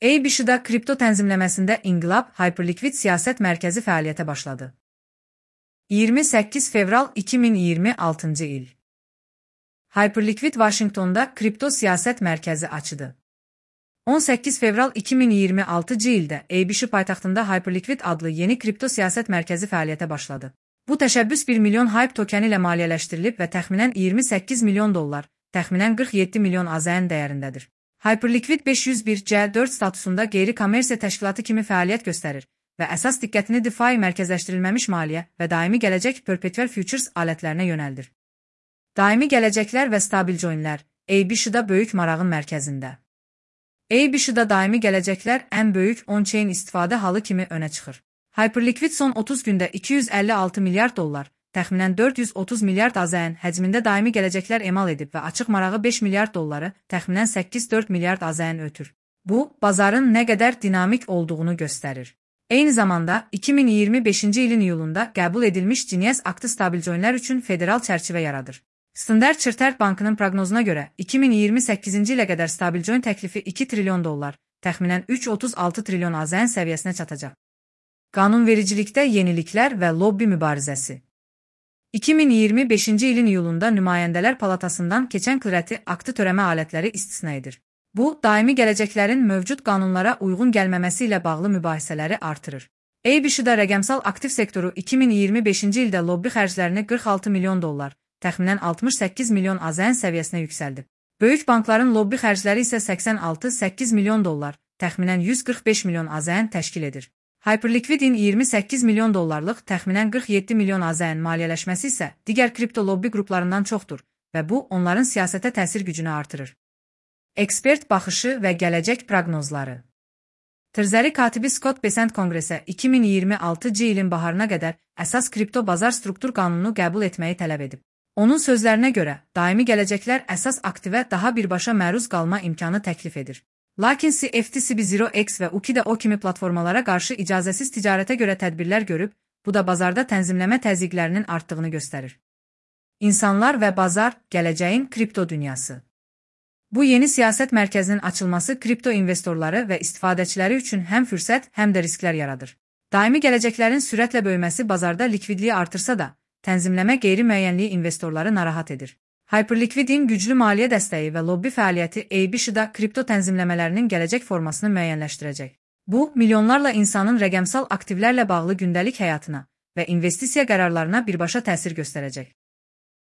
ABC-da kripto tənzimləməsində inqilab Hyperliquid siyasət mərkəzi fəaliyyətə başladı. 28 fevral 2026-cı il. Hyperliquid Vaşinqtonda kripto siyasət mərkəzi açdı. 18 fevral 2026-cı ildə ABC paytaxtında Hyperliquid adlı yeni kripto siyasət mərkəzi fəaliyyətə başladı. Bu təşəbbüs 1 milyon HYPE tokeni ilə maliyyələşdirilib və təxminən 28 milyon dollar, təxminən 47 milyon AZN dəyərindədir. Hyperliquid 501C4 statusunda qeyri-kommersiya təşkilatı kimi fəaliyyət göstərir və əsas diqqətini DeFi mərkəzləşdirilməmiş maliyyə və daimi gələcək perpetual futures alətlərinə yönəldir. Daimi gələcəklər və stabil coinlər ABC-da böyük marağın mərkəzində. ABC-da daimi gələcəklər ən böyük on-chain istifadə halı kimi önə çıxır. Hyperliquid son 30 gündə 256 milyard dollar, təxminən 430 milyard AZN həcmində daimi gələcəklər emal edib və açıq marağı 5 milyard dolları, təxminən 8-4 milyard AZN ötür. Bu, bazarın nə qədər dinamik olduğunu göstərir. Eyni zamanda, 2025-ci ilin iyulunda qəbul edilmiş Genius aktı stabil coinlər üçün federal çərçivə yaradır. Standard Chartered Bankının proqnozuna görə, 2028-ci ilə qədər stabil coin təklifi 2 trilyon dollar, təxminən 336 trilyon AZN səviyyəsinə çatacaq. Qanunvericilikdə yeniliklər və lobbi mübarizəsi. 2025-ci ilin iyulunda Nümayəndələr Palatasından keçən Clarity aktı törəmə alətləri istisna edir. Bu, daimi gələcəklərin mövcud qanunlara uyğun gəlməməsi ilə bağlı mübahisələri artırır. ABC-da rəqəmsal aktiv sektoru 2025-ci ildə lobbi xərclərini 46 milyon dollar, təxminən 68 milyon AZN səviyyəsinə yüksəldib. Böyük bankların lobbi xərcləri isə 86-8 milyon dollar, təxminən 145 milyon AZN təşkil edir. Hyperliquidin 28 milyon dollarlıq, təxminən 47 milyon AZN maliyyələşməsi isə digər kripto lobbi qruplarından çoxdur və bu, onların siyasətə təsir gücünü artırır. Ekspert baxışı və gələcək proqnozları. Treasury katibi Scott Bessent Konqresə 2026-cı ilin baharına qədər əsas kripto bazar struktur qanununu qəbul etməyi tələb edib. Onun sözlərinə görə, daimi gələcəklər əsas aktivə daha birbaşa məruz qalma imkanı təklif edir. Lakin CFTC B0X və UKIDO kimi platformalara qarşı icazəsiz ticarətə görə tədbirlər görüb, bu da bazarda tənzimləmə təzyiqlərinin artdığını göstərir. İnsanlar və bazar, gələcəyin kripto dünyası. Bu yeni siyasət mərkəzinin açılması kripto investorları və istifadəçiləri üçün həm fürsət, həm də risklər yaradır. Daimi gələcəklərin sürətlə böyüməsi bazarda likvidliyi artırsa da, tənzimləmə qeyri-müəyyənliyi investorları narahat edir. Hyperliquidin güclü maliyyə dəstəyi və lobbi fəaliyyəti ABC-da kripto tənzimləmələrinin gələcək formasını müəyyənləşdirəcək. Bu, milyonlarla insanın rəqəmsal aktivlərlə bağlı gündəlik həyatına və investisiya qərarlarına birbaşa təsir göstərəcək.